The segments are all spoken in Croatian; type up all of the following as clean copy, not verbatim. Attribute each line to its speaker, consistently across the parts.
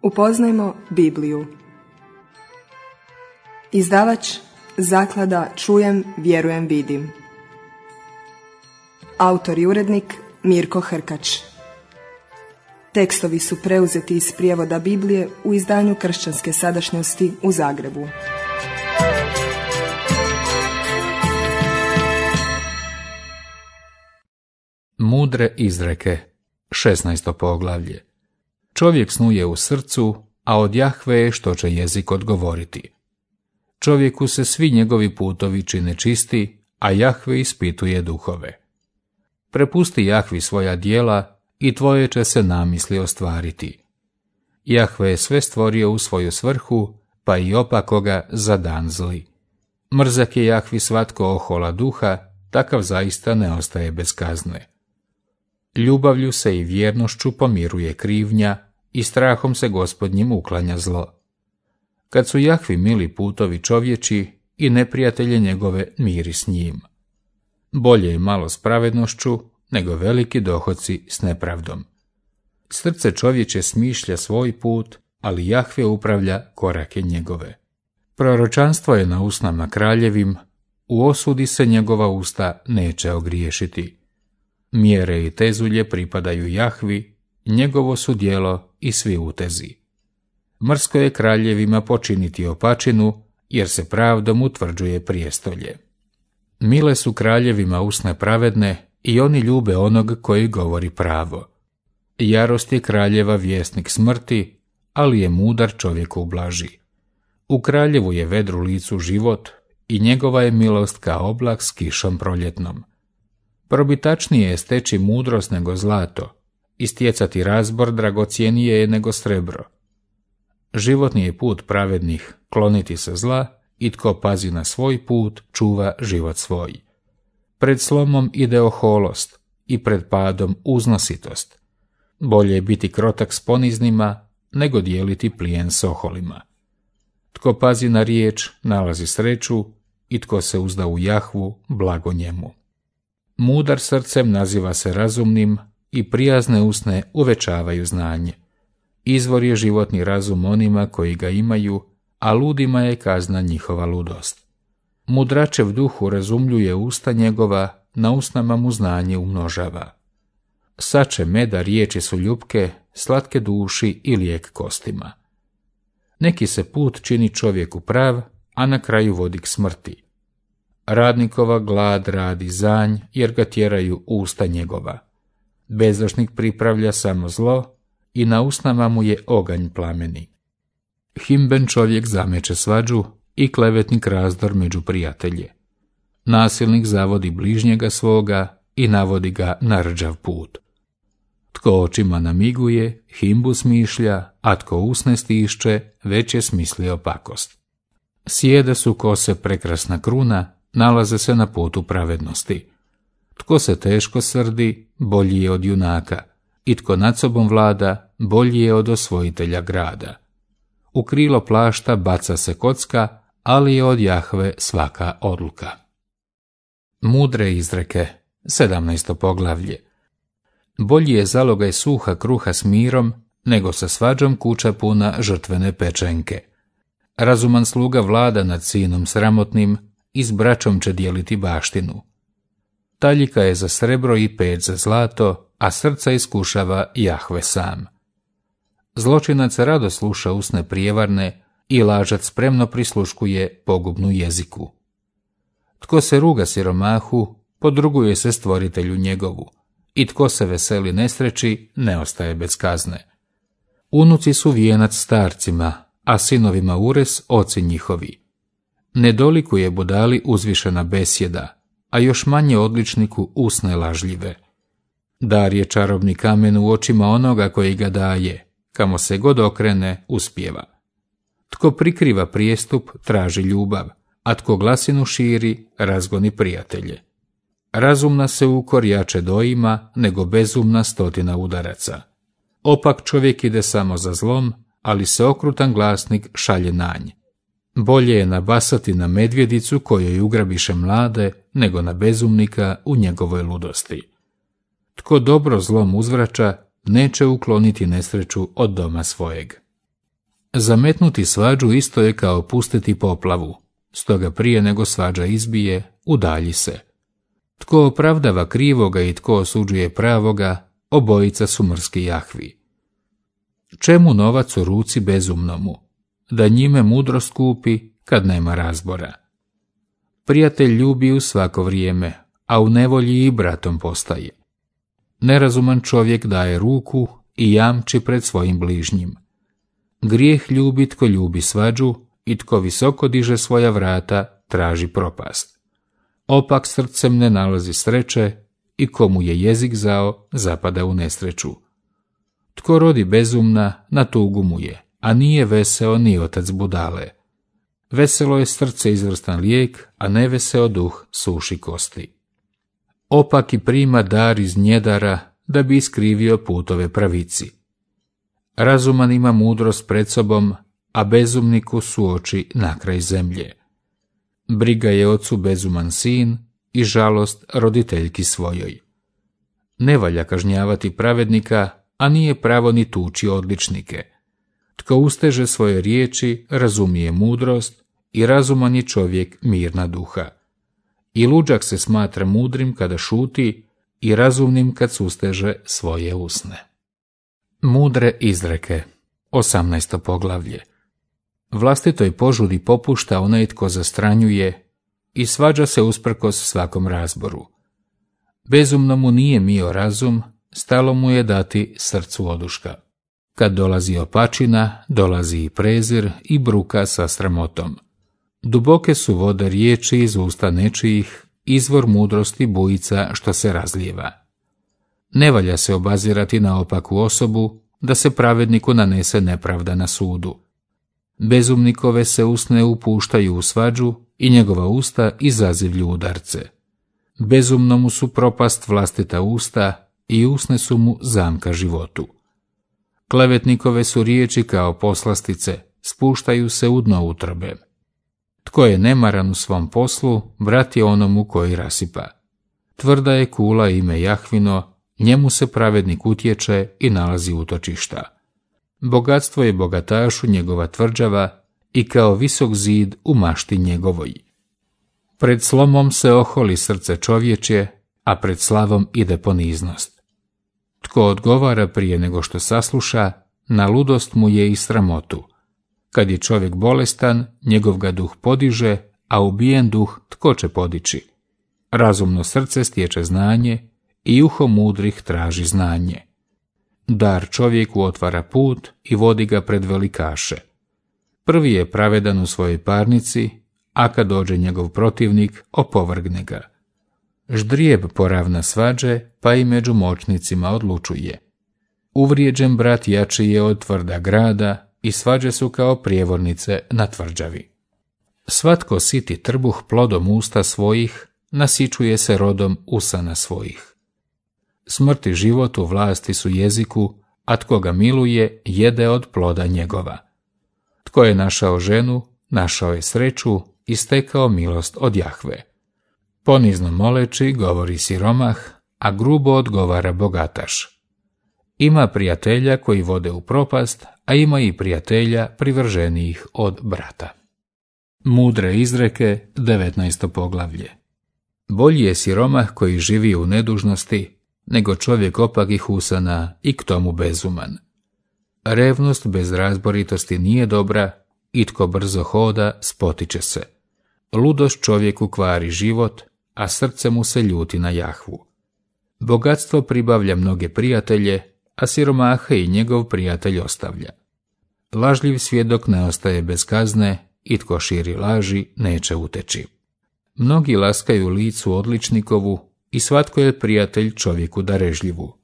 Speaker 1: Upoznajmo Bibliju. Izdavač Zaklada Čujem, vjerujem, vidim. Autor i urednik Mirko Hrkač. Tekstovi su preuzeti iz prijevoda Biblije u izdanju Kršćanske sadašnjosti u Zagrebu.
Speaker 2: Mudre izreke, 16. poglavlje. Čovjek snuje u srcu, a od Jahve je što će jezik odgovoriti. Čovjeku se svi njegovi putovi čine čisti, a Jahve ispituje duhove. Prepusti Jahvi svoja djela i tvoje će se namisli ostvariti. Jahve je sve stvorio u svoju svrhu, pa i opakoga za dan zli. Mrzak je Jahvi svatko ohola duha, takav zaista ne ostaje bez kazne. Ljubavlju se i vjernošću pomiruje krivnja i strahom se Gospodnjim uklanja zlo. Kad su Jahvi mili putovi čovječi i neprijatelje njegove miri s njim. Bolje je malo s pravednošću nego veliki dohoci s nepravdom. Srce čovječe smišlja svoj put, ali Jahve upravlja korake njegove. Proročanstvo je na usnama kraljevim, u osudi se njegova usta neće ogriješiti. Mjere i tezulje pripadaju Jahvi, njegovo su djelo i svi utezi. Mrsko je kraljevima počiniti opačinu, jer se pravdom utvrđuje prijestolje. Mile su kraljevima usne pravedne i oni ljube onog koji govori pravo. Jarost je kraljeva vjesnik smrti, ali je mudar čovjeku ublaži. U kraljevu je vedru licu život i njegova je milost kao oblak s kišom proljetnom. Probitačnije je steći mudrost nego zlato, i stjecati razbor dragocjenije je nego srebro. Životni je put pravednih kloniti se zla i tko pazi na svoj put čuva život svoj. Pred slomom ide oholost i pred padom uznositost. Bolje je biti krotak s poniznima nego dijeliti plijen s oholima. Tko pazi na riječ nalazi sreću i tko se uzda u Jahvu blago njemu. Mudar srcem naziva se razumnim i prijazne usne uvećavaju znanje. Izvor je životni razum onima koji ga imaju, a ludima je kazna njihova ludost. Mudračev duh urazumljuje usta njegova, na usnama mu znanje umnožava. Sače meda riječi su ljupke, slatke duši i lijek kostima. Neki se put čini čovjeku prav, a na kraju vodi k smrti. Radnikova glad radi zanj, jer ga tjeraju usta njegova. Bezdošnik pripravlja samo zlo i na usnama mu je oganj plameni. Himben čovjek zameće svađu i klevetnik razdor među prijatelje. Nasilnik zavodi bližnjega svoga i navodi ga na rđav put. Tko očima namiguje, himbu smišlja, a tko usne stišće, već je smislio pakost. Sjede su kose prekrasna kruna, nalaze se na putu pravednosti. Tko se teško srdi, bolji je od junaka, i tko nad sobom vlada, bolji je od osvojitelja grada. U krilo plašta baca se kocka, ali je od Jahve svaka odluka. Mudre izreke, 17. poglavlje. Bolji je zalogaj suha kruha s mirom, nego sa svađom kuća puna žrtvene pečenke. Razuman sluga vlada nad sinom sramotnim i s braćom će dijeliti baštinu. Taljika je za srebro i peć za zlato, a srca iskušava Jahve sam. Zločinac rado sluša usne prijevarne i lažac spremno prisluškuje pogubnu jeziku. Tko se ruga siromahu, podruguje se stvoritelju njegovu, i tko se veseli nesreći, ne ostaje bez kazne. Unuci su vijenac starcima, a sinovima ures oci njihovi. Ne dolikuje budali uzvišena besjeda, a još manje odličniku usne lažljive. Dar je čarobni kamen u očima onoga koji ga daje, kamo se god okrene, uspijeva. Tko prikriva prijestup, traži ljubav, a tko glasinu širi, razgoni prijatelje. Razumna se ukor jače doima, nego bezumna 100 udaraca. Opak čovjek ide samo za zlom, ali se okrutan glasnik šalje na nj. Bolje je nabasati na medvjedicu kojoj ugrabiše mlade, nego na bezumnika u njegovoj ludosti. Tko dobro zlom uzvraća, neće ukloniti nesreću od doma svojeg. Zametnuti svađu isto je kao pustiti poplavu, stoga prije nego svađa izbije, udalji se. Tko opravdava krivoga i tko osuđuje pravoga, obojica su mrski Jahvi. Čemu novac u ruci bezumnomu? Da njime mudrost kupi kad nema razbora. Prijatelj ljubi u svako vrijeme, a u nevolji i bratom postaje. Nerazuman čovjek daje ruku i jamči pred svojim bližnjim. Grijeh ljubi tko ljubi svađu i tko visoko diže svoja vrata traži propast. Opak srcem ne nalazi sreće i komu je jezik zao zapada u nesreću. Tko rodi bezumna, na tugu mu je, a nije veseo ni otac budale. Veselo je srce izvrstan lijek, a neveseo duh suši kosti. Opaki prima dar iz njedara da bi iskrivio putove pravici. Razuman ima mudrost pred sobom, a bezumniku su oči na kraj zemlje. Briga je ocu bezuman sin i žalost roditeljki svojoj. Ne valja kažnjavati pravednika, a nije pravo ni tući odličnike. Tko usteže svoje riječi, razumije mudrost i razuman je čovjek mirna duha. I luđak se smatra mudrim kada šuti i razumnim kad susteže svoje usne. Mudre izreke, 18. poglavlje. Vlastitoj požudi popušta onaj tko zastranjuje i svađa se usprkos svakom razboru. Bezumnomu nije mio razum, stalo mu je dati srcu oduška. Kad dolazi opačina, dolazi i prezir i bruka sa sramotom. Duboke su vode riječi iz usta nečijih, izvor mudrosti bujica što se razlijeva. Ne valja se obazirati na opaku osobu, da se pravedniku nanese nepravda na sudu. Bezumnikove se usne upuštaju u svađu i njegova usta izazivlju udarce. Bezumnomu su propast vlastita usta i usne su mu zamka životu. Klevetnikove su riječi kao poslastice, spuštaju se u dno utrobe. Tko je nemaran u svom poslu, brat je onomu koji rasipa. Tvrda je kula ime Jahvino, njemu se pravednik utječe i nalazi utočišta. Bogatstvo je bogatašu njegova tvrđava i kao visok zid u mašti njegovoj. Pred slomom se oholi srce čovječje, a pred slavom ide poniznost. Tko odgovara prije nego što sasluša, na ludost mu je i sramotu. Kad je čovjek bolestan, njegov ga duh podiže, a ubijen duh tko će podići? Razumno srce stječe znanje i uho mudrih traži znanje. Dar čovjeku otvara put i vodi ga pred velikaše. Prvi je pravedan u svojoj parnici, a kad dođe njegov protivnik, opovrgne ga. Ždrijeb poravna svađe, pa i među moćnicima odlučuje. Uvrijeđen brat jači je od tvrda grada i svađe su kao prijevornice na tvrđavi. Svatko siti trbuh plodom usta svojih, nasičuje se rodom usana svojih. Smrt i život u vlasti su jeziku, a tko ga miluje, jede od ploda njegova. Tko je našao ženu, našao je sreću i stekao milost od Jahve. Ponizno moleći govori siromah, a grubo odgovara bogataš. Ima prijatelja koji vode u propast, a ima i prijatelja privrženijih od brata. Mudre izreke, 19. poglavlje. Bolji je siromah koji živi u nedužnosti, nego čovjek opakih usana i k tomu bezuman. Revnost bez razboritosti nije dobra i tko brzo hoda spotiče se. Ludost čovjeku kvari život, a srce mu se ljuti na Jahvu. Bogatstvo pribavlja mnoge prijatelje, a siromaha i njegov prijatelj ostavlja. Lažljiv svjedok ne ostaje bez kazne i tko širi laži neće uteći. Mnogi laskaju licu odličnikovu i svatko je prijatelj čovjeku darežljivu.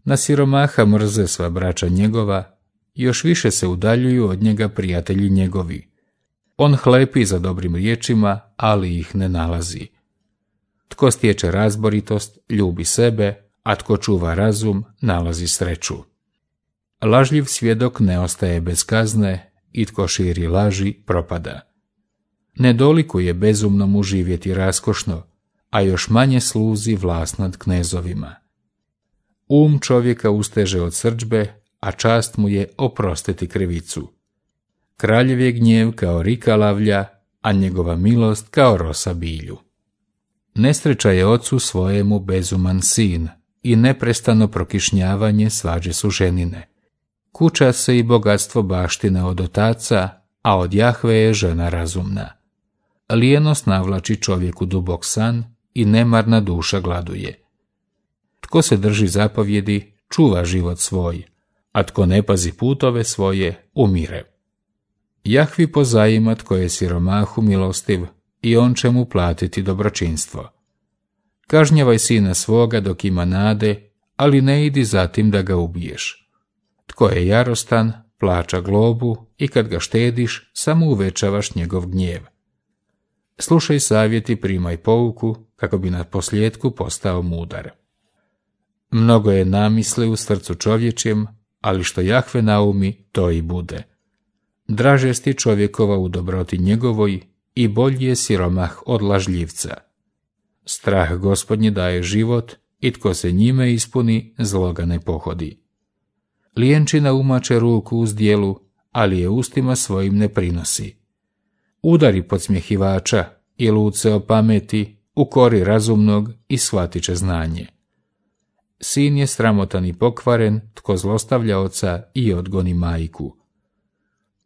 Speaker 2: Na siromaha mrze sva braća njegova, još više se udaljuju od njega prijatelji njegovi. On hlepi za dobrim riječima, ali ih ne nalazi. Tko stječe razboritost, ljubi sebe, a tko čuva razum, nalazi sreću. Lažljiv svjedok ne ostaje bez kazne i tko širi laži propada. Ne dolikuje bezumnomu živjeti raskošno, a još manje sluzi vlast nad knezovima. Um čovjeka usteže od srdžbe, a čast mu je oprostiti krivicu. Kraljev je gnjev kao rika lavlja, a njegova milost kao rosa bilju. Nesreća je ocu svojemu bezuman sin i neprestano prokišnjavanje svađe su ženine. Kuća se i bogatstvo baštine od otaca, a od Jahve je žena razumna. Lijenost navlači čovjeku dubok san i nemarna duša gladuje. Tko se drži zapovjedi, čuva život svoj, a tko ne pazi putove svoje, umire. Jahvi pozajima tko je siromahu milostiv i on će mu platiti dobročinstvo. Kažnjavaj sina svoga dok ima nade, ali ne idi zatim da ga ubiješ. Tko je jarostan, plaća globu i kad ga štediš, samo uvećavaš njegov gnjev. Slušaj savjet i primaj pouku, kako bi na posljedku postao mudar. Mnogo je namisli u srcu čovječjem, ali što Jahve naumi, to i bude. Draže sti čovjekova u dobroti njegovoj i bolji je siromah od lažljivca. Strah Gospodnji daje život i tko se njime ispuni, zlo ga ne pohodi. Lijenčina umače ruku uz djelu, ali je ustima svojim ne prinosi. Udari podsmjehivača i lud se opameti, ukori razumnog i shvatit će znanje. Sin je sramotan i pokvaren, tko zlostavlja oca i odgoni majku.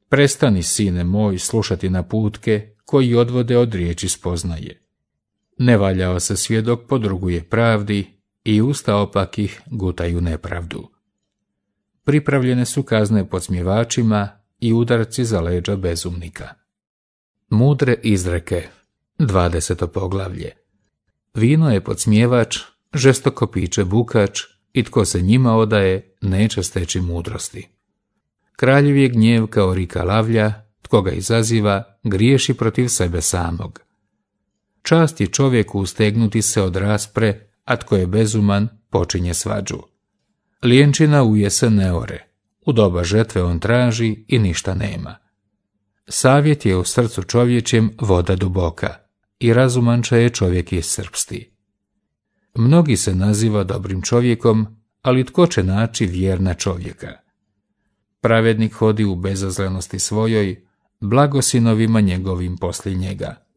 Speaker 2: Prestani, sine moj, slušati naputke koji odvode od riječi spoznaje. Nevaljao se svjedok podruguje pravdi i usta opakih gutaju nepravdu. Pripravljene su kazne podsmjevačima i udarci za leđa bezumnika. Mudre izreke, 20. poglavlje. Vino je podsmjevač, žestoko piće bukač i tko se njima odaje, neće steći mudrosti. Kraljev je gnjev kao rika lavlja, tko ga izaziva, griješi protiv sebe samog. Čast je čovjeku ustegnuti se od raspre, a tko je bezuman, počinje svađu. Lijenčina u jesen ne ore, u doba žetve on traži i ništa nema. Savjet je u srcu čovječjem voda duboka i razuman je čovjek iscrpsti. Mnogi se naziva dobrim čovjekom, ali tko će naći vjerna čovjeka? Pravednik hodi u bezazlenosti svojoj, blagosinovima njegovim poslije njega.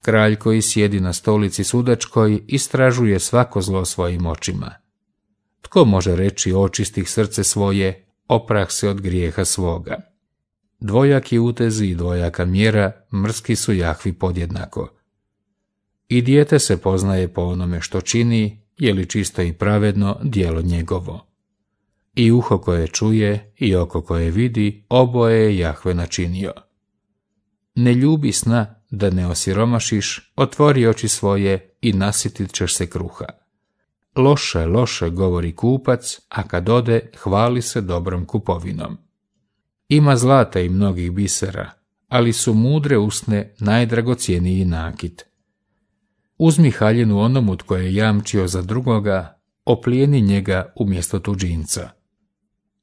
Speaker 2: Kralj koji sjedi na stolici sudačkoj istražuje svako zlo svojim očima. Tko može reći očistih srce svoje, oprah se od grijeha svoga? Dvojaki utezi i dvojaka mjera mrski su Jahvi podjednako. I dijete se poznaje po onome što čini, je li čisto i pravedno djelo njegovo. I uho koje čuje i oko koje vidi, oboje je Jahve načinio. Ne ljubi sna da ne osiromašiš, otvori oči svoje i nasitit ćeš se kruha. Loše, loše govori kupac, a kad ode, hvali se dobrom kupovinom. Ima zlata i mnogih bisera, ali su mudre usne najdragocjeniji nakit. Uzmi haljinu onomu tko je jamčio za drugoga, oplijeni njega umjesto tuđinca.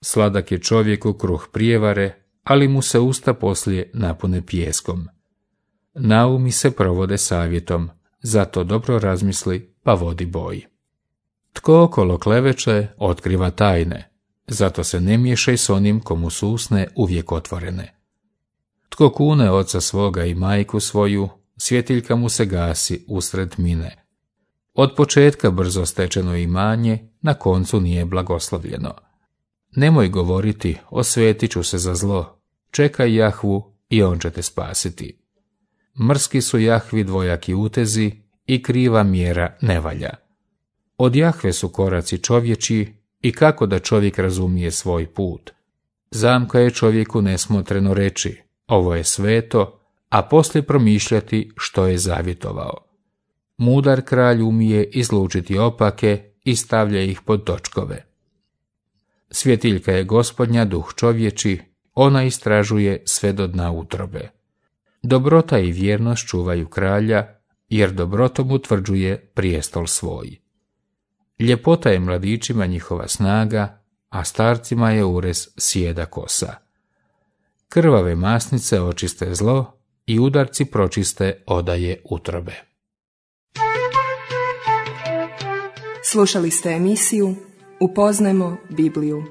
Speaker 2: Sladak je čovjeku kruh prijevare, ali mu se usta poslije napune pijeskom. Naumi se provode savjetom, zato dobro razmisli pa vodi boj. Tko okolo kleveće, otkriva tajne, zato se ne miješaj s onim komu su usne uvijek otvorene. Tko kune oca svoga i majku svoju, svjetiljka mu se gasi usred mine. Od početka brzo stečeno imanje, na koncu nije blagoslovljeno. Nemoj govoriti, osvetit ću se za zlo, čekaj Jahvu i on će te spasiti. Mrski su Jahvi dvojaki utezi i kriva mjera ne valja. Od Jahve su koraci čovječi i kako da čovjek razumije svoj put. Zamka je čovjeku nesmotreno reći, ovo je sveto, a poslije promišljati što je zavjetovao. Mudar kralj umije izlučiti opake i stavlja ih pod točkove. Svjetiljka je Gospodnja, duh čovječi, ona istražuje sve do dna utrobe. Dobrota i vjernost čuvaju kralja, jer dobrotom utvrđuje prijestol svoj. Ljepota je mladićima njihova snaga, a starcima je urez sjeda kosa. Krvave masnice očiste zlo i udarci pročiste odaje utrobe.
Speaker 1: Slušali ste emisiju Upoznajmo Bibliju.